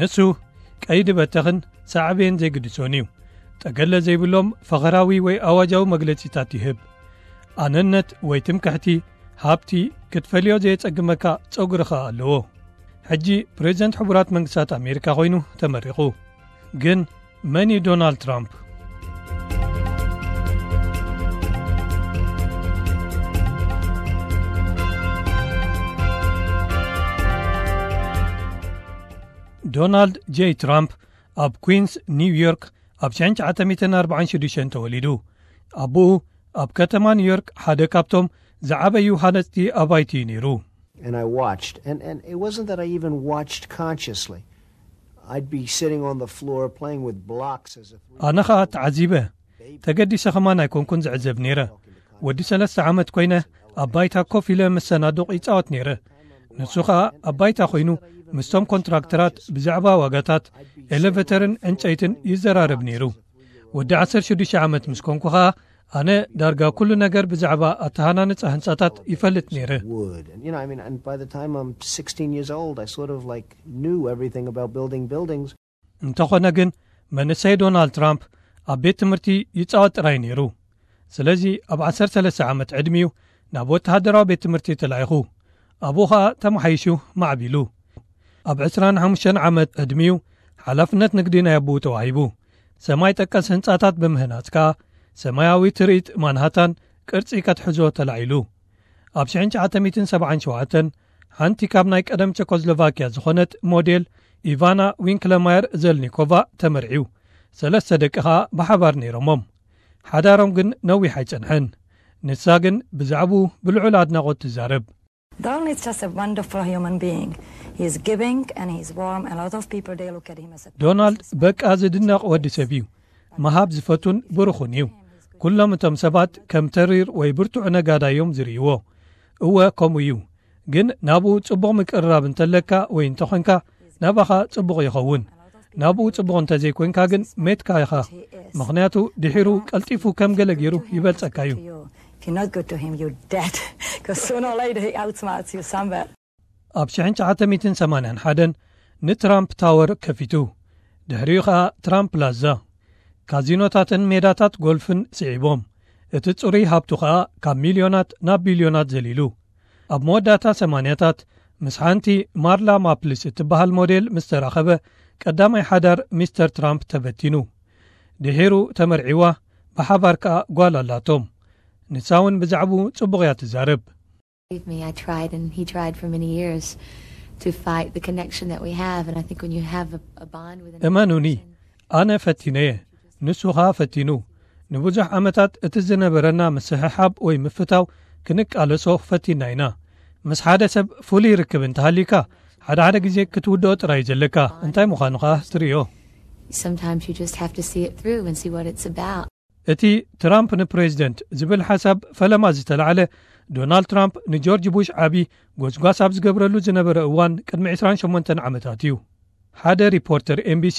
ንሱ ቀይዲ በተኽን ሳዕቤን ዘይግድሶን እዩ። ጠገለ ዘይብሎም ፈኸራዊ ወይ ኣዋጃዊ መግለጺታት ይህብ። ኣነነት ወይ ትምክሕቲ፣ ሃብቲ ክትፈልዮ ዘየጸግመካ ጸጉሪ ኸኣ ኣለዎ። ሕጂ ፕሬዚደንት ሕቡራት መንግስታት ኣሜሪካ ኮይኑ ተመሪቑ። ግን መን እዩ ዶናልድ ትራምፕ? ዶናልድ ጄይ ትራምፕ ኣብ ኩንስ ኒውዮርክ ኣብ ሽሕን ትሽዓተ ሚእትን ኣርባዓን ሽዱሽተን ተወሊዱ። ኣቦኡ ኣብ ከተማ ኒውዮርክ ሓደ ካብቶም ዝዓበዩ ሃነፅቲ ኣባይቲ እዩ ነይሩ። And I watched, and, and it wasn't that I even watched consciously. I'd be sitting on the floor playing with blocks as a three. ኣነ ኸኣ ተዓዚበ። ተገዲሰ ኸማን ኣይኮንኩን ዝዕዘብ ነይረ። ወዲ ሰለስተ ዓመት ኮይነ ኣብ ባይታ ኮፍ ኢለ ምስ ሰናዱቕ ይጻወት ነይረ። ንሱ ኸኣ ኣብ ባይታ ኮይኑ ምስቶም ኮንትራክተራት ብዛዕባ ዋጋታት ኤሌቨተርን ዕንጨይትን ይዘራረብ ነይሩ። ወዲ ዓሰርተ ሽዱሽተ ዓመት ምስ ኮንኩ ኸኣ ኣነ ዳርጋ ኩሉ ነገር ብዛዕባ ኣተሃናንጻ ህንጻታት ይፈልጥ ነይረ። Wood. And, you know, I mean, and by the time I'm sixteen years old, I sort of like knew everything about building buildings. እንተኾነ ግን መንእሰይ ዶናልድ ትራምፕ ኣብ ቤት ትምህርቲ ይጻወት ጥራይ ነይሩ። ስለዚ ኣብ ዓሰርተ ሰለስተ ዓመት ዕድሚኡ ናብ ወተሃደራዊ ቤት ትምህርቲ ተላኢኹ። ኣብኡ ኸኣ ተመሓይሹ ማዕቢሉ። ኣብ ዕስራን ሓሙሽተን ዓመት ዕድሚኡ ሓላፍነት ንግዲ ናይ ኣቦኡ ተዋሂቡ። ሰማይ ጠቀስ ህንጻታት ብምህናጽ ከኣ ሰማያዊ ትርኢት ማንሃታን ቅርጺ ከትሕዞ ተላዒሉ። ኣብ ሽሕን ትሽዓተ ሚእትን ሰብዓን ሸውዓተን ሓንቲ ካብ ናይ ቀደም ቸኮስሎቫኪያ ዝኾነት ሞዴል ኢቫና ዊንክለማየር ዘልኒኮቫ ተመርዕዩ። ሰለስተ ደቂ ኸኣ ብሓባር ነይሮሞም። ሓዳሮም ግን ነዊሕ ኣይጸንሐን። ንሳ ግን ብዛዕባኡ ብልዑል ኣድናቖት ትዛረብ። Donald is just a wonderful human being. He's giving and he's warm. A lot of people, they look at him as a ዶናልድ በቃ ዝድነቕ ወዲ ሰብ እዩ። ምሃብ ዝፈቱን ብሩኹን እዩ። ኩሎም እቶም ሰባት ከም ተሪር ወይ ብርቱዕ ነጋዳይ እዮም ዝርእይዎ። እወ፣ ከምኡ እዩ። ግን ናብኡ ጽቡቕ ምቅርራብ እንተለካ ወይ እንተኾንካ፣ ናባኻ ጽቡቕ ይኸውን። ናብኡ ጽቡቕ እንተዘይኮንካ ግን ሜትካ ኢኻ። ምኽንያቱ ድሒሩ ቀልጢፉ ከም ገለ ገይሩ ይበልጸካ እዩ። If you're not good to him, you're dead. Because sooner or later he outsmarts you somewhere. ኣብ ሽሕን ትሽዓተ ሚእትን ሰማንያን ሓደን ንትራምፕ ታወር ከፊቱ። ድሕሪኡ ኸኣ ትራምፕ ፕላዛ። ካዚኖታትን ሜዳታት ጎልፍን ስዒቦም። እቲ ጽሩይ ሃብቱ ኸኣ ካብ ሚልዮናት ናብ ቢልዮናት ዘሊሉ። ኣብ መወዳእታ ሰማንያታት ምስ ሓንቲ ማርላ ማፕልስ እትበሃል ሞዴል ምስ ተራኸበ ቀዳማይ ሓዳር ሚስተር ትራምፕ ተበቲኑ። ድሒሩ ተመርዒዋ ብሓባር ከኣ ጓል ኣላቶም። ንሳ እውን ብዛዕባኡ ጽቡቕ እያ ትዛረብ። Believe me, I tried and he tried for many years to fight the connection that we have. And I think when you have a, a bond with an እመኑኒ፣ ኣነ ፈቲነየ፣ ንሱ ኸኣ ፈቲኑ። ንብዙሕ ዓመታት እቲ ዝነበረና ምስሕሓብ ወይ ምፍታው ክንቃለሶ ፈቲና ኢና። ምስ ሓደ ሰብ ፍሉይ ርክብ እንተሃሊካ፣ ሓደ ሓደ ግዜ ክትውድኦ ጥራይ እዩ ዘለካ። እንታይ ምዃኑ ኸኣ ትርእዮ። Sometimes you just have to see it through and see what it's about. እቲ ትራምፕ ንፕሬዚደንት ዝብል ሓሳብ ፈለማ ዝተላዕለ ዶናልድ ትራምፕ ንጆርጅ ቡሽ ዓቢ ጎስጓስ ኣብ ዝገብረሉ ዝነበረ እዋን ቅድሚ ዕስራን ሸሞንተን ዓመታት እዩ። ሓደ ሪፖርተር ኤምቢሲ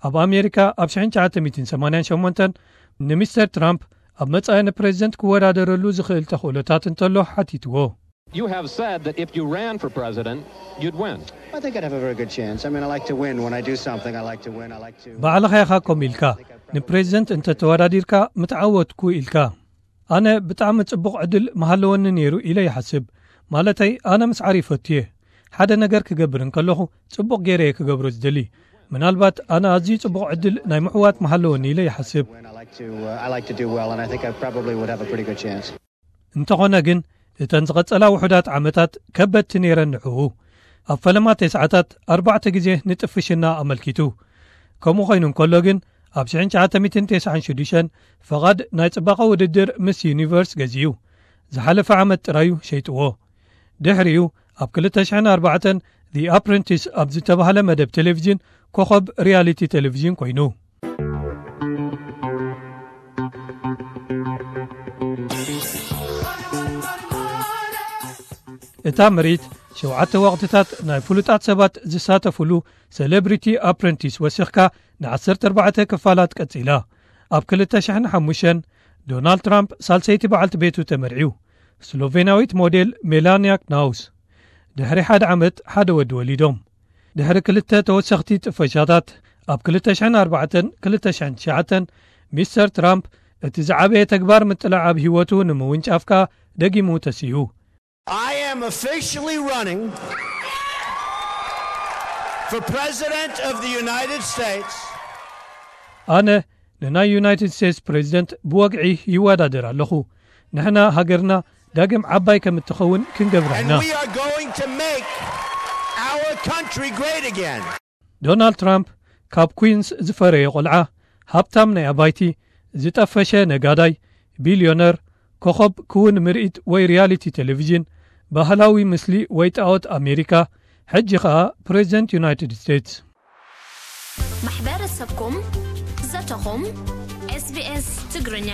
ኣብ ኣሜሪካ ኣብ ሽሕን ትሽዓተ ሚእትን ሰማንያን ሸሞንተን ንሚስተር ትራምፕ ኣብ መጻኢ ንፕሬዚደንት ክወዳደረሉ ዝኽእል ተኽእሎታት እንተሎ ሓቲትዎ። You have said that if you ran for president, you'd win. I think I'd have a very good chance. I mean, I like to win. When I do something, I like to win. I like to. ባዕልኻ ኢኻ ከምኡ ኢልካ፣ ንፕሬዚደንት እንተተወዳዲርካ ምተዓወትኩ ኢልካ። ኣነ ብጣዕሚ ጽቡቕ ዕድል ምሃለወኒ ነይሩ ኢለ ይሓስብ። ማለተይ፣ ኣነ ምስዓር ይፈቱ እየ። ሓደ ነገር ክገብር እንከለኹ ጽቡቕ ገይረ እየ ክገብሮ ዝደሊ። ምናልባት ኣነ ኣዝዩ ጽቡቕ ዕድል ናይ ምዕዋት ምሃለወኒ ኢለ ይሓስብ። Win. I like to. Uh, I like to do well, and I think I probably would have a pretty good chance. እንተኾነ ግን፣ እተን ዝቐጸላ ውሑዳት ዓመታት ከበድቲ ነይረን ንዕኡ። ኣብ ፈለማ ተስዓታት ኣርባዕተ ግዜ ንጥፍሽና ኣመልኪቱ። ከምኡ ኮይኑ እንከሎ ግን፣ ኣብ ሽሕን ትሽዓተ ሚእትን ተስዓን ሽዱሽተን ፍቓድ ናይ ጽባቐ ውድድር ምስ ዩኒቨርስ ገዚኡ። ዝሓለፈ ዓመት ጥራዩ ሸይጥዎ። ድሕሪኡ ኣብ ክልተ ሽሕን ኣርባዕተን The Apprentice ኣብ ዝተባህለ መደብ ቴሌቪዥን ኮኸብ ሪያሊቲ ቴሌቪዥን ኮይኑ። እታ ምርኢት ሸውዓተ ወቕትታት ናይ ፍሉጣት ሰባት ዝሳተፉሉ ሴሌብሪቲ ኣፕረንቲስ ወሲኽካ ንዓሰርተ ኣርባዕተ ክፋላት ቀጺላ። ኣብ ክልተ ሽሕን ሓሙሽተን ዶናልድ ትራምፕ ሳልሰይቲ በዓልቲ ቤቱ ተመርዕዩ። ስሎቬናዊት ሞዴል ሜላንያ ክናውስ። ድሕሪ ሓደ ዓመት ሓደ ወዲ ወሊዶም። ድሕሪ ክልተ ተወሰኽቲ ጥፈሻታት ኣብ ክልተ ሽሕን ኣርባዕተን ክልተ ሽሕን ትሽዓተን፣ ሚስተር ትራምፕ እቲ ዝዓበየ ተግባር ምጥላዕ ኣብ ህይወቱ ንምውንጫፍ ከኣ ደጊሙ ተሲኡ። I am officially running for President of the United States. ኣነ ንናይ ዩናይትድ ስቴትስ ፕሬዚደንት ብወግዒ ይወዳደር ኣለኹ። ንሕና ሃገርና ዳግም ዓባይ ከም እትኸውን ክንገብራ ኢና። We are going to make our country great again. ዶናልድ ትራምፕ ካብ ኩዊንስ ዝፈረየ ቆልዓ፣ ሃብታም ናይ ኣባይቲ፣ ዝጠፈሸ ነጋዳይ፣ ቢልዮነር፣ ኮኸብ ክውን ምርኢት ወይ ሪያሊቲ ቴሌቪዥን፣ ባህላዊ ምስሊ ወይ ጣዖት ኣሜሪካ፣ ሕጂ ኸኣ ፕሬዚደንት ዩናይትድ ስቴትስ። ማሕበረሰብኩም፣ ዘተኹም፣ SBS ትግርኛ።